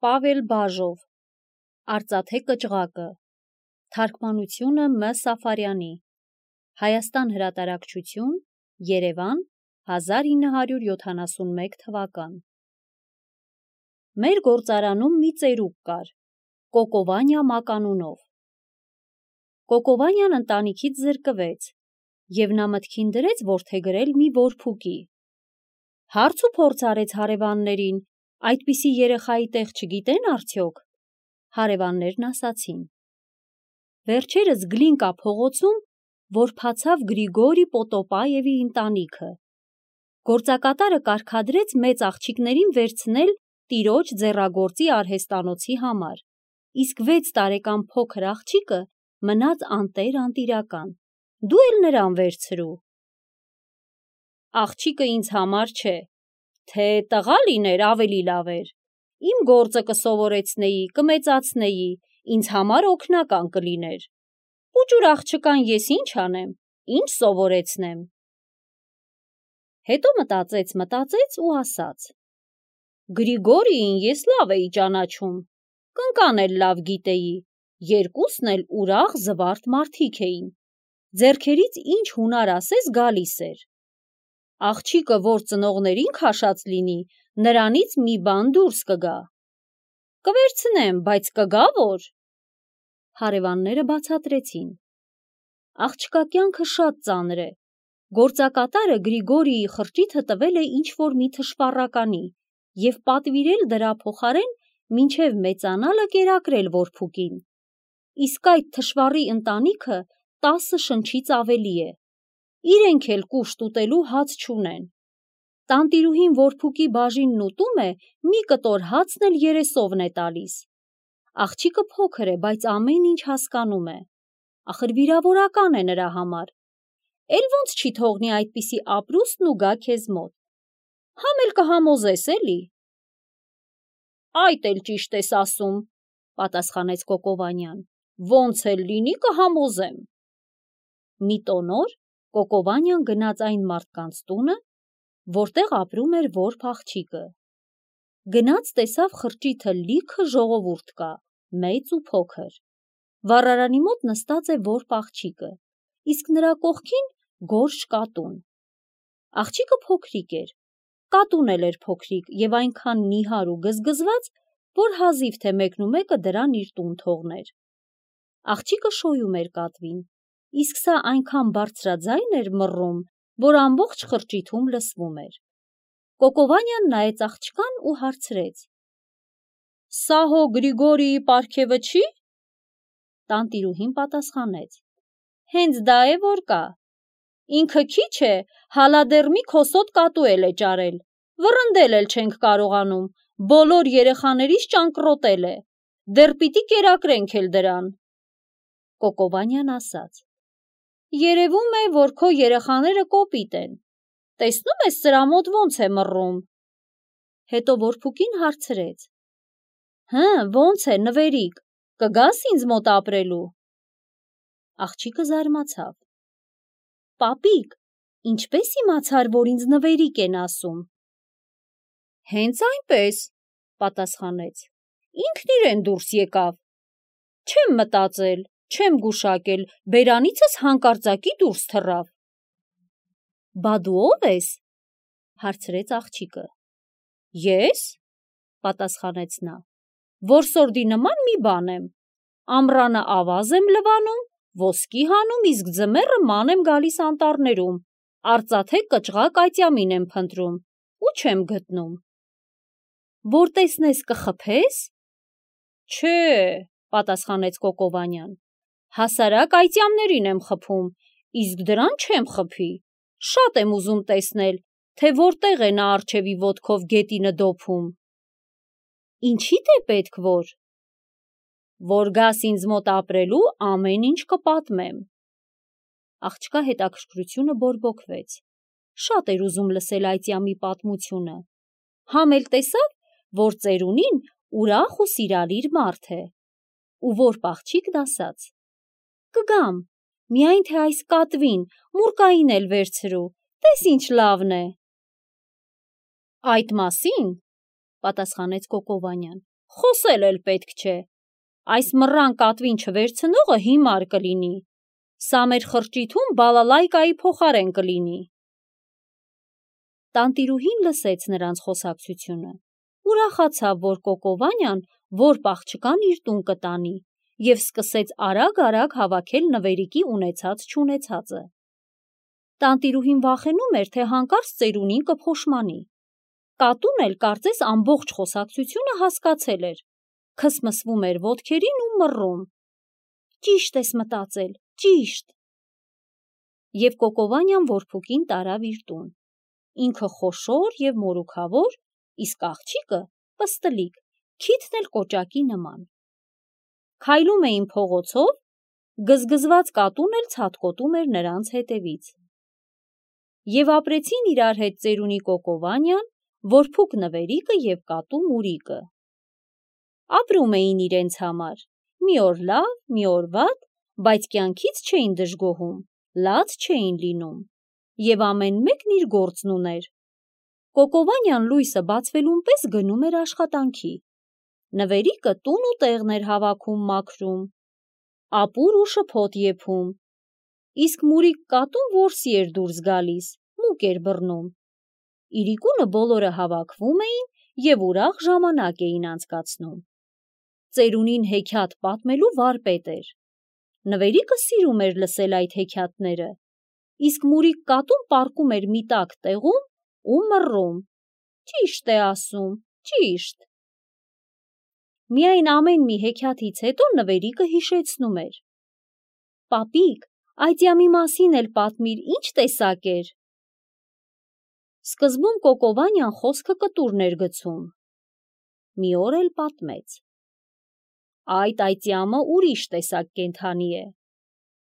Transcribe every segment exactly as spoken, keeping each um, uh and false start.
Պավել Բաժով, Արծաթե կճղակը, թարգմանությունը Մ. Սաֆարյանի, Հայաստան հրատարակչություն, Երևան, հազար ինը հարյուր յոթանասունմեկ թվական։ Մեր գործարանում մի ծերուկ կար, Կոկովանյա մականունով։ Կոկովանյան ընտանիքից զրկվեց, և նա մտքին դրեց որդեգրել մի որփուկի։ Հարց ու փորձ արեց հարևաններին, այդպիսի երեխայի տեղ չգիտեն արդյոք։ Հարևաններն ասացին. վերջերս Գլինկա փողոցում որբացավ Գրիգորի Պոտոպաևի ընտանիքը։ Գործակատարը կարգադրեց մեծ աղջիկներին վերցնել տիրոջ ձեռագործի արհեստանոցի համար, իսկ վեց տարեկան փոքր աղջիկը մնաց անտեր-անտիրական, դու էլ նրան վերցրու։ Աղջիկը ինձ համար չէ, թե տղա լիներ ավելի լավ էր, իմ գործը կսովորեցնեի, կմեծացնեի, ինձ համար օգնական կլիներ։ Պուճուր աղջկան ես ինչ անեմ, ինչ սովորեցնեմ։ Հետո մտածեց, մտածեց ու ասաց. Գրիգորիին ես լավ էի ճանաչում, կնկան էլ լավ գիտեի, երկուսն էլ ուրախ զվարթ մարդիկ էին, ձեռքերից ինչ հունար ասես գալիս էր։ Աղջիկը, որ ծնողներին քաշած լինի, նրանից մի բան դուրս կգա։ Կվերցնեմ, բայց կգա որ։ Հարևանները բացատրեցին. աղջկա կյանքը շատ ծանր է, գործակատարը Գրիգորիի խրճիթը տվել է ինչ-որ մի թշվառականի և պատվիրել դրա փոխարեն մինչև մեծանալը կերակրել որփուկին, իսկ այդ թշվառի ընտանիքը տասը շնչից ավելի է, իրենք էլ կուշտ ուտելու հաց չունեն։ Տանտիրուհին որփուկի բաժինն ուտում է, մի կտոր հացն էլ երեսովն է տալիս։ Աղջիկը փոքր է, բայց ամեն ինչ հասկանում է, ախր վիրավորական է նրա համար, էլ ոնց չի թողնի այդպիսի ապրուստն ու գա քեզ մոտ, համ էլ կհամոզես էլի։ Այդ էլ ճիշտ ես ասում, պատասխանեց Կոկովանյան, ոնց էլ լինի կհամոզեմ։ Մի տոնոր Կոկովանյան գնաց այն մարդկանց տունը, որտեղ ապրում էր որբ աղջիկը։ Գնաց տեսավ խրճիթը լիքը ժողովուրդ կա, մեծ ու փոքր։ Վառարանի մոտ նստած է որբ աղջիկը, իսկ նրա կողքին գորշ կատուն։ Աղջիկը փոքրիկ էր, կատուն էլ էր փոքրիկ և այնքան նիհար ու գզգզված, որ հազիվ թե մեկն ու մեկը դրան իր տուն թողներ։ Աղջիկը շոյում էր կատվին, իսկ սա այնքան բարձրաձայն էր մռռում, որ ամբողջ խրճիթում լսվում էր։ Կոկովանյան նայեց աղջկան ու հարցրեց. Սա հո Գրիգորիի պարգևը չի։ Տանտիրուհին պատասխանեց. հենց դա է որ կա։ Ինքը քիչ է, հալա դեռ մի քոսոտ կատու էլ է ճարել, վռնդել էլ չենք կարողանում, բոլոր երեխաներիս ճանկռոտել է, դեռ պիտի կերակրենք էլ դրան։ Կոկովանյան ասաց. երևում է, որ քո երեխաները կոպիտ են, տեսնում ես սրա մոտ ոնց է մռռում։ Հետո որփուկին հարցրեց. հը, ոնց է, նվերիկ, կգաս ինձ մոտ ապրելու։ Աղջիկը զարմացավ. պապիկ, ինչպես իմացար, որ ինձ նվերիկ են ասում։ Հենց այնպես, պատասխանեց, ինքն իրեն դուրս եկավ։ Չեմ մտածել, չեմ գուշակել, բերանիցս հանկարծակի դուրս թռավ։ Բա դու ո՞վ ես, հարցրեց աղջիկը։ Ես, պատասխանեց նա, որսորդի նման մի բան եմ, ամռանը ավազ եմ լվանում, ոսկի հանում, իսկ ձմեռը ման եմ գալիս անտառներում, արծաթե կճղակ այծյամին եմ փնտրում ու չեմ գտնում։ Որ տեսնես կխփես։ Չէ, պատասխանեց Կոկովանյան, հասարակ այծյամներին եմ խփում, իսկ դրան չեմ խփի, շատ եմ ուզում տեսնել, թե որտեղ է նա առջևի ոտքով գետինը դոփում։ Ինչի՞դ է պետք որ։ Որ գաս ինձ մոտ ապրելու, ամեն ինչ կպատմեմ։ Աղջկա հետաքրքրությունը բորբոքվեց, շատ էր ուզում լսել այծյամի պատմությունը, համ էլ տեսավ, որ ծերունին ուրախ ու սիրալիր մարդ է, ու որբ աղջիկն ասաց. կգամ, միայն թե այս կատվին, մուրկային էլ վերցրու, տես ինչ լավն է։ Այդ մասին, պատասխանեց Կոկովանյան, խոսել էլ պետք չէ, այս մռան կատվին չվերցնողը հիմար կլինի, սա մեր խրճիթում բալալայկայի փոխարեն կլինի։ Տանտիրուհին լսեց նրանց խոսակցությունը, ուրախացավ, որ Կոկովանյան որ աղջկան իր տուն կտանի և սկսեց արագ-արագ հավաքել նվերիկի ունեցած-չունեցածը։ Տանտիրուհին վախենում էր, թե հանկարծ ծերունին կփոշմանի։ Կատուն էլ կարծես ամբողջ խոսակցությունը հասկացել էր, քսմսվում էր ոտքերին ու մռում. «Ճիշտ ես մտածել, ճիշտ»։ Եվ Կոկովանյան որփուկին տարավ իր տուն։ Ինքը խոշոր և մորուքավոր, իսկ աղջիկը պստլիկ, քիթն էլ կոճակի նման։ Քայլում էին փողոցով, գզգզված կատուն էլ ցատկոտում էր նրանց հետևից։ Եվ ապրեցին իրար հետ ծերունի Կոկովանյան, որփուկ նվերիկը և կատու Մուրիկը։ Ապրում էին իրենց համար, մի օր լավ, մի օր վատ, բայց կյանքից չէին դժգոհում, լաց չէին լինում, և ամեն մեկն իր գործն ուներ։ Կոկովանյան լույսը բացվելուն պես գնում էր աշխատանքի, նվերիկը տուն ու տեղն էր հավաքում մաքրում, ապուր ու շփոթ եփում, իսկ Մուրիկ կատուն որսի էր դուրս գալիս, մուկ էր բռնում։ Իրիկունը բոլորը հավաքվում էին և ուրախ ժամանակ էին անցկացնում։ Ծերունին հեքիաթ պատմելու վարպետ էր։ Նվերիկը սիրում էր լսել այդ հեքիաթները, իսկ Մուրիկ կատուն պառկում էր մի տաք տեղում ու մռում. «Ճիշտ է ասում, ճիշտ»։ Միայն ամեն մի հեքիաթից հետո նվերիկը հիշեցնում էր. «Պապիկ, այծյամի մասին էլ պատմիր, ինչ տեսակ էր»։ Սկզբում Կոկովանյան խոսքը կտուրն էր գցում, մի օր էլ պատմեց. «Այդ այծյամը ուրիշ տեսակ կենդանի է։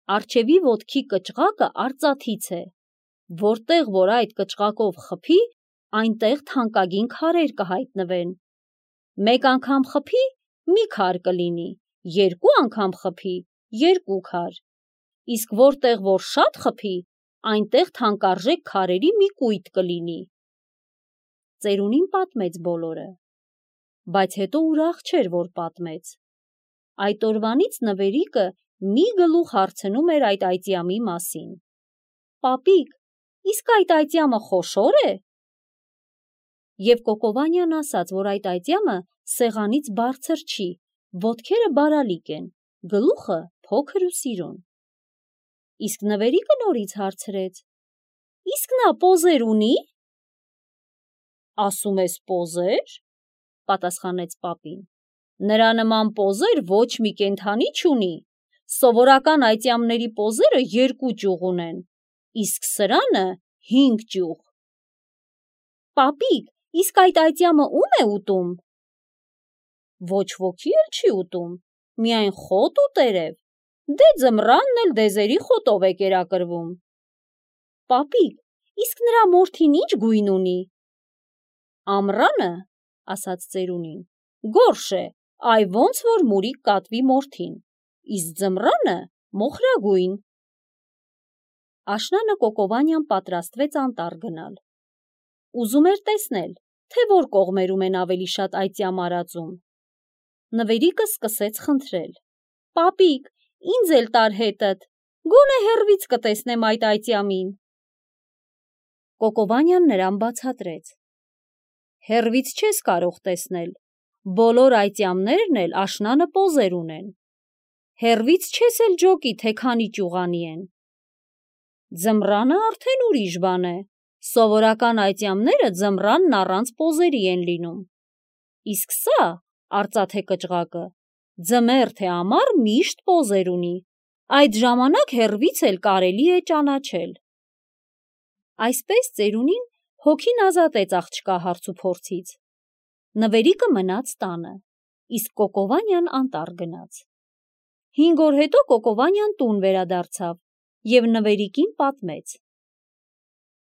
Առջևի ոտքի կճղակը արծաթից է, որտեղ որ այդ կճղակով խփի, այնտեղ թանկագին քարեր կհայտնվեն։ Մեկ անգամ խփի, մի քար կլինի, երկու անգամ խփի, երկու քար, իսկ որտեղ որ շատ խփի, այնտեղ թանկարժեք քարերի մի կույտ կլինի»։ Ծերունին պատմեց բոլորը, բայց հետո ուրախ չէր, որ պատմեց։ Այդ օրվանից նվերիկը մի գլուխ հարցնում էր այդ այծյամի մասին. «Պապիկ, իսկ այդ այծյամը խոշո՞ր է»։ Եվ Կոկովանյան ասաց, որ այդ այծյամը սեղանից բարձր չի, ոտքերը բարալիկ են, գլուխը փոքր ու սիրուն։ Իսկ նվերիկը նորից հարցրեց. «Իսկ նա պոզեր ունի»։ «Ասում ես պոզե՞ր», պատասխանեց պապին։ «Նրա նման պոզեր ոչ մի կենդանի չունի, սովորական այծյամների պոզերը երկու ճյուղ ունեն, իսկ սրանը հինգ ճյուղ»։ «Պապիկ, իսկ այդ այծյամը ո՞ւմ է ուտում»։ «Ոչ ոքի էլ չի ուտում, միայն խոտ ու տերև, դե ձմռանն էլ դեզերի խոտով է կերակրվում»։ «Պապիկ, իսկ նրա մորթին ի՞նչ գույն ունի»։ «Ամռանը, – ասաց ծերունին, – գորշ է, այ ոնց որ Մուրիկ կատվի մորթին, իսկ ձմռանը մոխրագույն»։ Աշնանը Կոկովանյան պատրաստվեց անտառ գնալ։ Ուզում էր տեսնել, թե որ կողմերում են ավելի շատ այծյամ արածում։ Նվերիկը սկսեց խնդրել. «Պապիկ, ինձ էլ տար հետդ, գոնե հեռվից կտեսնեմ այդ այծյամին»։ Կոկովանյան նրան բացատրեց. «Հեռվից չես կարող տեսնել, բոլոր այծյամներն էլ աշնանը պոզեր ունեն։ Հեռվից չես էլ ջոկի, թե քանի ճյուղանի են։ Ձմռանը արդեն ուրիշ բան է, սովորական այծյամները ձմռանն առանց պոզերի են լինում, իսկ սա, արծաթե կճղակը, ձմեռ թե ամառ միշտ պոզեր ունի, այդ ժամանակ հեռվից էլ կարելի է ճանաչել»։ Այսպես ծերունին հոգին ազատեց աղջկա հարցուփորձից։ Նվերիկը մնաց տանը, իսկ Կոկովանյան անտառ գնաց։ Հինգ օր հետո Կոկովանյան տուն վերադարձավ և նվերիկին պատմեց.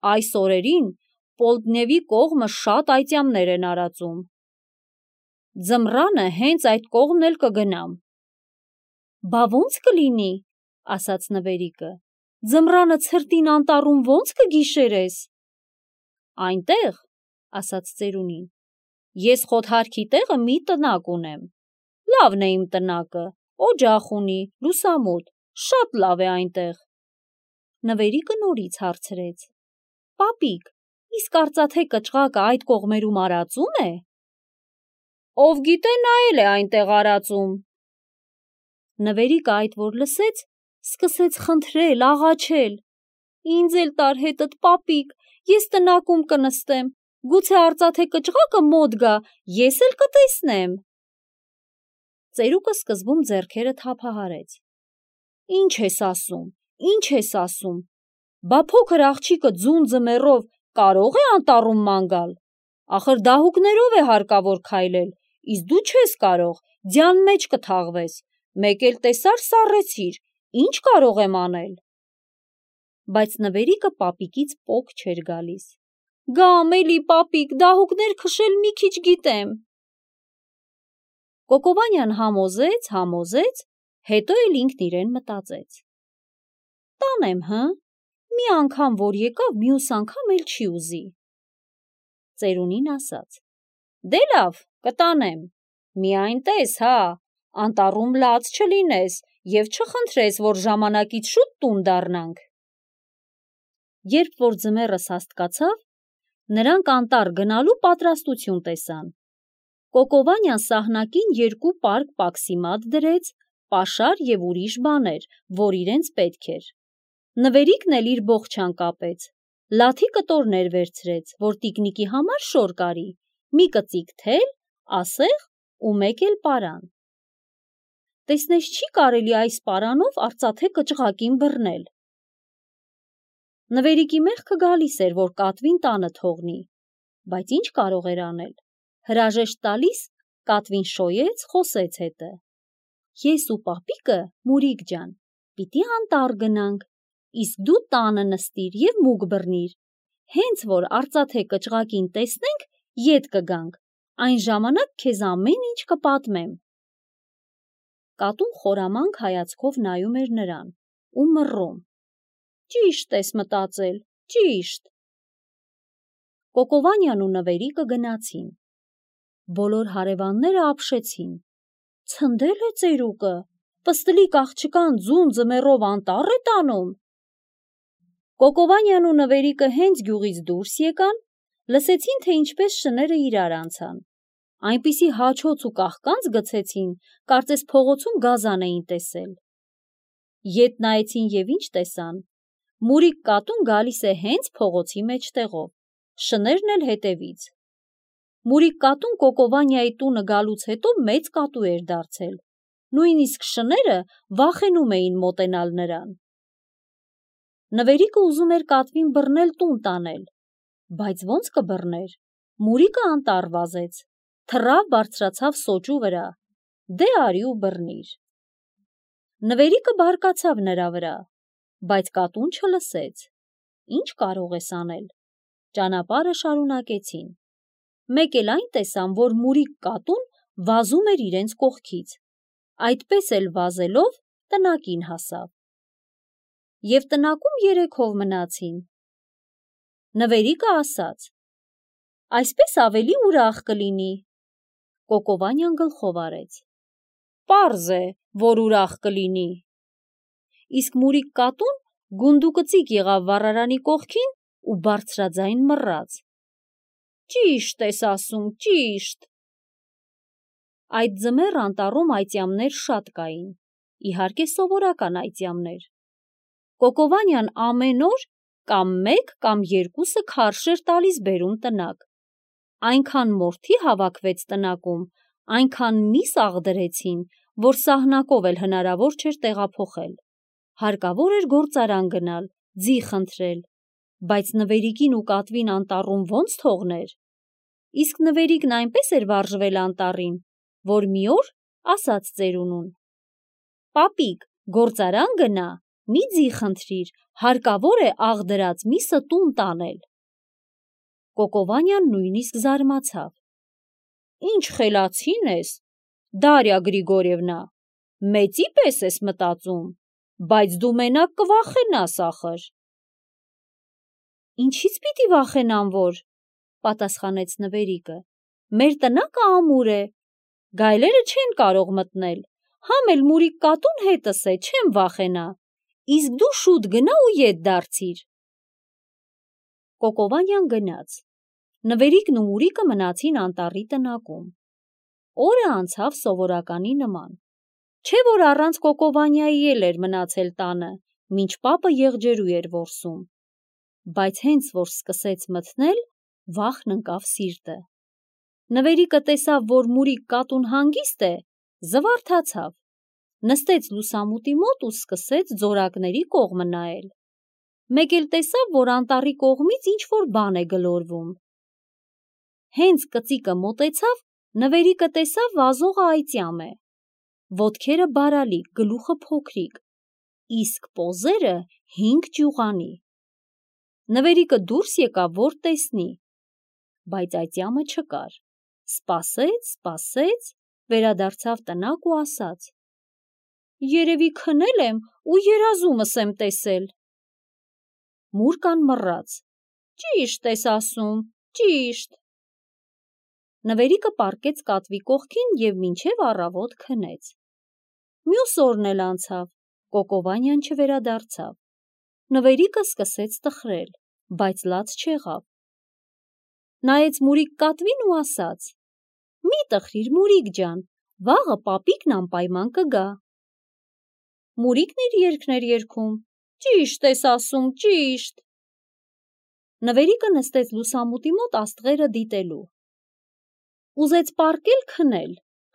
«Այս օրերին Պոլտնևի կողմը շատ այծյամներ են արածում։ Ձմռանը հենց այդ կողմն էլ կգնամ»։ «Բա ո՞նց կլինի», – ասաց նվերիկը, «ձմռանը ցրտին անտառում ո՞նց կգիշերես»։ «Այնտեղ, – ասաց ծերունին, ես խոթարքի տեղը մի տնակ ունեմ, լավն է իմ տնակը, օջախ ունի, լուսամուտ, շատ լավ է այնտեղ։ Նվերիկը նորից հարցրեց. Պապիկ, իսկ արծաթե կճղակը այդ կողմերում արածում է։ Ով գիտե նա էլ է այնտեղ արածում։ Նվերիկը այդ որ լսեց, սկսեց խնդրել, աղաչել. Ինձ էլ տար հետդ պապիկ, ես տնակում կնստեմ, գուցե արծաթե կճղակը մոտ գա, ես էլ կտեսնեմ։ Ծերուկը սկզբում ձեռքերը թափահարեց. Ինչ ես ասում, ինչ ես ասում, բա փոքր աղջիկը ձուն ձմեռով կարող է անտառում ման գալ, ախր դահուկներով է հարկավոր քայլել, իսկ դու չես կարող, ձյան մեջ կթաղվես, մեկ էլ տեսար սառեցիր, ինչ կարող եմ անել։ Բայց նվերիկը պապիկից պոկ չէր գալիս։ Գամ էլի պապիկ, դահուկներ քշել մի քիչ գիտեմ։ Կոկովանյան համոզեց, համոզեց, հետո էլ ինքն իրեն մտածեց. Տանեմ, հը, մի անգամ որ եկավ, մյուս անգամ էլ չի ուզի։ Ծերունին ասաց. Դե լավ, կտանեմ, միայն տես, հա, անտառում լաց չլինես և չխնդրես, որ ժամանակից շուտ տուն դառնանք։ Երբ որ ձմեռը սաստկացավ, նրանք անտառ գնալու պատրաստություն տեսան։ Կոկովանյան սահնակին երկու պարկ պաքսիմատ դրեց, պաշար և ուրիշ բաներ, որ իրենց պետք էր։ Նվերիկն էլ իր բոխչան կապեց, լաթի կտորներ վերցրեց, որ տիկնիկի համար շոր կարի, մի կծիկ թել, ասեղ ու մեկ էլ պարան։ Տեսնես չի կարելի այս պարանով արծաթե կճղակին բռնել։ Նվերիկի մեղքը գալիս էր, որ կատվին տանը թողնի, բայց ինչ կարող էր անել։ Հրաժեշտ տալիս կատվին շոյեց, խոսեց հետը. Ես ու պապիկը, Մուրիկ ջան, պիտի անտառ գնանք, իսկ դու տանը նստիր և մուկ բռնիր, հենց որ արծաթե կճղակին տեսնենք, ետ կգանք, այն ժամանակ քեզ ամեն ինչ կպատմեմ։ Կատուն խորամանկ հայացքով նայում էր նրան ու մռռում. Ճիշտ ես մտածել, ճիշտ։ Կոկովանյան ու նվերիկը գնացին։ Բոլոր հարևանները ապշեցին. Ցնդել է ծերուկը, պստլիկ աղջկան ձուն ձմեռով անտառ է տանում։ Կոկովանյան ու նվերիկը հենց գյուղից դուրս եկան, լսեցին, թե ինչպես շները իրար անցան։ Այնպիսի հաչոց ու կաղկանց գցեցին, կարծես փողոցում գազան էին տեսել։ Ետ նայեցին և ինչ տեսան։ Մուրիկ կատուն գալիս է հենց փողոցի մեջտեղով, շներն էլ հետևից։ Մուրիկ կատուն Կոկովանյայի տունը գալուց հետո մեծ կատու էր դարձել, նույնիսկ շները վախենում էին մոտենալ նրան։ Նվերիկը ուզում էր կատվին բռնել տուն տանել, բայց ոնց կբռներ, Մուրիկը անտառ վազեց, թռավ բարձրացավ սոճու վրա, դե արի ու բռնիր։ Նվերիկը բարկացավ նրա վրա, բայց կատուն չլսեց։ Ինչ կարող ես անել։ Ճանապարհը շարունակեցին։ Մեկ էլ այն տեսան, որ Մուրիկ կատուն վազում էր իրենց կողքից, այդպես էլ վազելով տնակին հասավ։ Եվ տնակում երեքով մնացին։ Նվերիկը ասաց. Այսպես ավելի ուրախ կլինի։ Կոկովանյան գլխով արեց. Պարզ է, որ ուրախ կլինի։ Իսկ Մուրիկ կատուն գունդուկծիկ եղավ վառարանի կողքին ու բարձրաձայն մռռաց. Ճիշտ ես ասում, ճիշտ։ Այդ ձմեռ անտառում այծյամներ շատ կային, իհարկե սովորական այծյամներ։ Կոկովանյան ամեն օր կամ մեկ կամ երկուսը քարշ էր տալիս բերում տնակ։ Այնքան մորթի հավաքվեց տնակում, այնքան միս աղդրեցին, որ սահնակով էլ հնարավոր չէր տեղափոխել։ Հարկավոր էր գործարան գնալ, ձի խնդրել, բայց նվերիկին ու կատվին անտառում ոնց թողներ։ Իսկ նվերիկն այնպես էր վարժվել անտառին, որ մի օր ասաց ծերունուն. Պապիկ, գործարան գնա, մի ձի խնդրիր, հարկավոր է աղդրած միսը տուն տանել։ Կոկովանյան նույնիսկ զարմացավ. Ինչ խելացին ես, Դարյա Գրիգորևնա, մեծի պես ես մտածում, բայց դու մենակ կվախենաս ախր։ Ինչից պիտի վախենամ, որ, պատասխանեց նվերիկը, մեր տնակը ամուր է, գայլերը չեն կարող մտնել, համ էլ մուրիկ կատուն հետս է, չեմ վախենա, իսկ դու շուտ գնա ու ետ դարձիր։ Կոկովանյան գնաց, Նվերիկն ու Մուրիկը մնացին անտառի տնակում։ Օրը անցավ սովորականի նման, չէ որ առանց Կոկովանյայի էլ էր մնացել տանը, մինչ պապը եղջերու էր որսում, բայց հենց որ սկսեց մթնել, վախն ընկավ սիրտը։ Նվերիկը տեսավ, որ մուրիկ կատուն հանգիստ է, զվարթացավ, նստեց լուսամուտի մոտ ու սկսեց ձորակների կողմը նայել։ Մեկ էլ տեսավ, որ անտառի կողմից ինչ-որ բան է գլորվում։ Հենց կծիկը մոտեցավ, Նվերիկը տեսավ վազողը այծյամ է, ոտքերը բարալիկ, գլուխը փոքրիկ, իսկ պոզերը հինգ ճյուղանի։ Նվերիկը դուրս եկավ, որ տեսնի, բայց այծյամը չկար, սպասեց, սպասեց, վերադարձավ տնակ ու ասաց. երևի քնել եմ ու երազումս եմ տեսել։ Մուրկան մռաց. ճիշտ ես ասում, ճիշտ։ Նվերիկը պառկեց կատվի կողքին և մինչև առավոտ քնեց։ Մյուս օրն էլ անցավ, Կոկովանյան չվերադարձավ։ Նվերիկը սկսեց տխրել, բայց լաց չեղավ։ Նայեց մուրիկ կատվին ու ասաց. մի տխրիր, Մուրիկ ջան, վաղը պապիկն անպայման կգա։ Մուրիկն իր երգն էր երգում. ճիշտ ես ասում, ճիշտ։ Նվերիկը նստեց լուսամուտի մոտ աստղերը դիտելու։ Ուզեց պառկել քնել,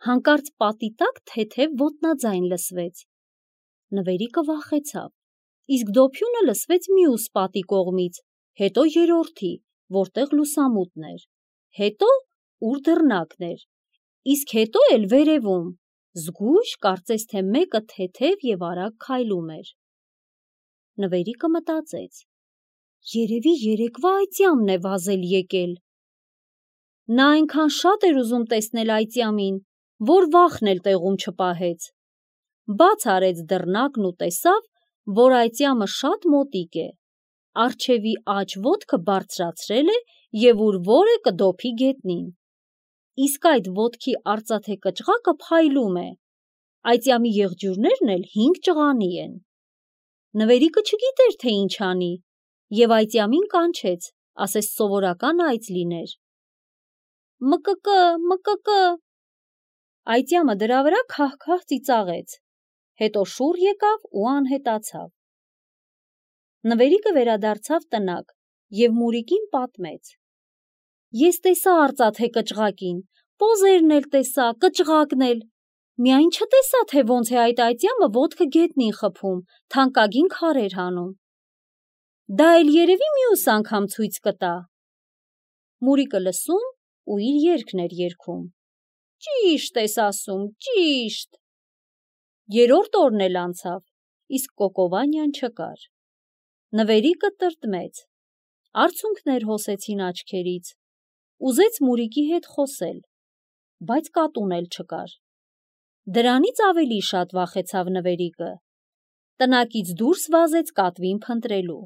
հանկարծ պատի տակ թեթև ոտնաձայն լսվեց։ Նվերիկը վախեցավ, իսկ դոփյունը լսվեց մյուս պատի կողմից, հետո երրորդի, որտեղ լուսամուտն էր, հետո ուր դռնակն էր, իսկ հետո էլ վերևում, զգույշ, կարծես թե մեկը թեթև և արագ քայլում էր։ Նվերիկը մտածեց. երևի երեկվա այծյամն է վազել եկել։ Նա այնքան շատ էր ուզում տեսնել այծյամին, որ վախն էլ տեղում չպահեց։ Բաց արեց դռնակն ու տեսավ, որ այծյամը շատ մոտիկ է, առջևի աջ ոտքը բարձրացրել է և ուր որ է կդոփի գետնին, իսկ այդ ոտքի արծաթե կճղակը փայլում է, այծյամի եղջյուրներն էլ հինգ ճղանի են։ Նվերիկը չգիտեր, թե ինչ անի, և այծյամին կանչեց, ասես սովորական այծ լիներ. մկկը, մկկը։ Այծյամը դրա վրա քահ-քահ ծիծաղեց, հետո շուռ եկավ ու անհետացավ։ Նվերիկը վերադարձավ տնակ և Մուրիկին պատմեց. ես տեսա արծաթե կճղակին, պոզերն էլ տեսա, կճղակն էլ, միայն չտեսա, թե ոնց է այդ այծյամը ոտքը գետնին խփում, թանկագին քարեր հանում։ Դա էլ երևի մյուս անգամ ցույց կտա։ Մուրիկը լսում ու իր երգն էր երգում. ճիշտ ես ասում, ճիշտ։ Երրորդ օրն էլ անցավ, իսկ Կոկովանյան չկար։ Նվերիկը տրտմեց, արցունքներ հոսեցին աչքերից, ուզեց Մուրիկի հետ խոսել, բայց կատուն էլ չկար։ Դրանից ավելի շատ վախեցավ Նվերիկը։ Տնակից դուրս վազեց կատվին փնտրելու։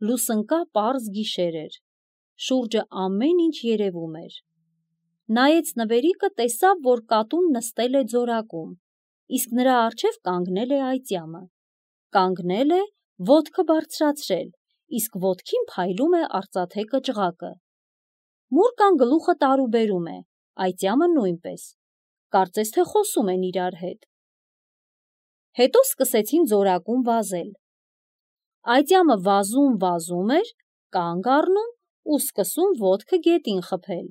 Լուսնկա պարզ գիշեր էր, շուրջը ամեն ինչ երևում էր։ Նայեց Նվերիկը, տեսավ, որ կատուն նստել է ձորակում, իսկ նրա առջև կանգնել է այծյամը։ Կանգնել է, ոտքը բարձրացրել, իսկ ոտքին փայլում է արծաթե կճղակը։ Մուրկան գլուխը տարուբերում է, այծյամը նույնպես, կարծես թե խոսում են իրար հետ։ Հետո սկսեցին ձորակում վազել։ Այծյամը վազում, վազում էր, կանգ առնում ու սկսում ոտքը գետին խփել։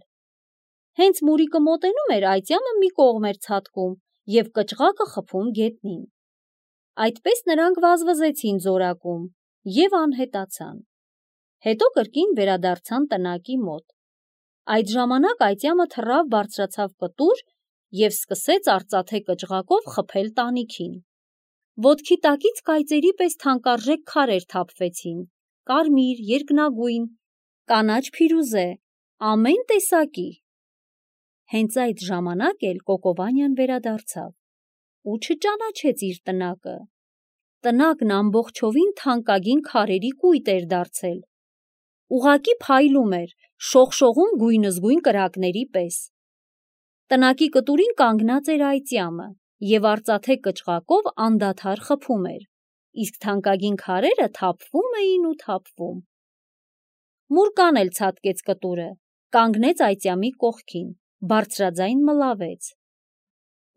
Հենց Մուրիկը մոտենում էր, այծյամը մի կողմ էր ցատկում և կճղակը խփում գետնին։ Այդպես նրանք վազվզեցին ձորակում և անհետացան։ Հետո կրկին վերադարձան տնակի մոտ։ Այդ ժամանակ այծյամը թռավ բարձրացավ կտուր և սկսեց արծաթե կճղակով խփել տանիքին։ Ոտքի տակից կայծերի պես թանկարժեք քարեր թափվեցին, կարմիր, երկնագույն, կանաչ փիրուզե, ամեն տեսակի։ Հենց այդ ժամանակ էլ Կոկովանյան վերադարձավ ու չճանաչեց իր տնակը։ Տնակն ամբողջովին թանկագին քարերի կույտ էր դարձել։ ուղղակի փայլում էր, շողշողում գույնզգույն կրակների պես։ Տնակի կտուրին կանգնած էր այծյամը և արծաթե կճղակով անդադար խփում էր, իսկ թանկագին քարերը թափվում էին ու թափվում։ Մուրկան էլ ցատկեց կտուրը, կանգնեց այծյամի կողքին, բարձրաձայն մլավեց։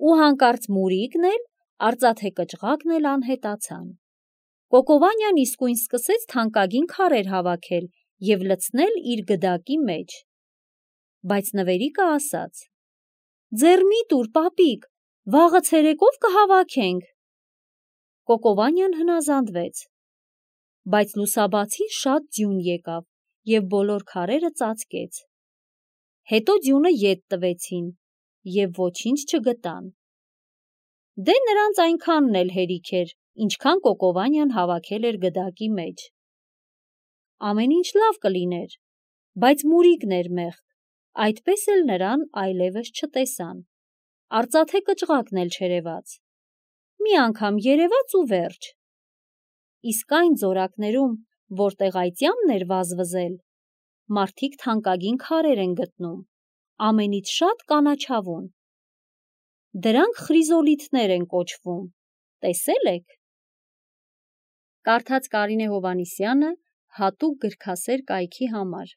Ու հանկարծ Մուրիկն էլ, արծաթե կճղակն էլ անհետացան։ Կոկովանյան իսկույն սկսեց թանկագին քարեր հավաքել և լցնել իր գդակի մեջ։ Բայց նվերիկը ասաց. «Ձեռ մի տուր, պապիկ, վաղը ցերեկով կհավաքենք»։ Կոկովանյան հնազանդվեց։ Բայց լուսաբացին շատ ձյուն եկավ և բոլոր քարերը ծածկեց։ Հետո ձյունը ետ տվեցին և ոչինչ չգտան։ Դե նրանց այնքանն էլ հերիք էր, ինչքան Կոկովանյան հավաքել էր գդակի մեջ։ Ամեն ինչ լավ կլիներ, բայց Մուրիկն էր մեղք, այդպես էլ նրան այլևս չտեսան։ Արծաթե կճղակն էլ չերևաց։ Մի անգամ երևաց ու վերջ։ Իսկ այն ձորակներում, որտեղ այծյամն էր վազվզել, մարդիկ թանկագին քարեր են գտնում, ամենից շատ կանաչավուն։ Դրանք խրիզոլիթներ են կոչվում, տեսե՞լ եք։ Կարդաց Կարինե Հովհաննիսյանը հատուկ գրքասեր կայքի համար։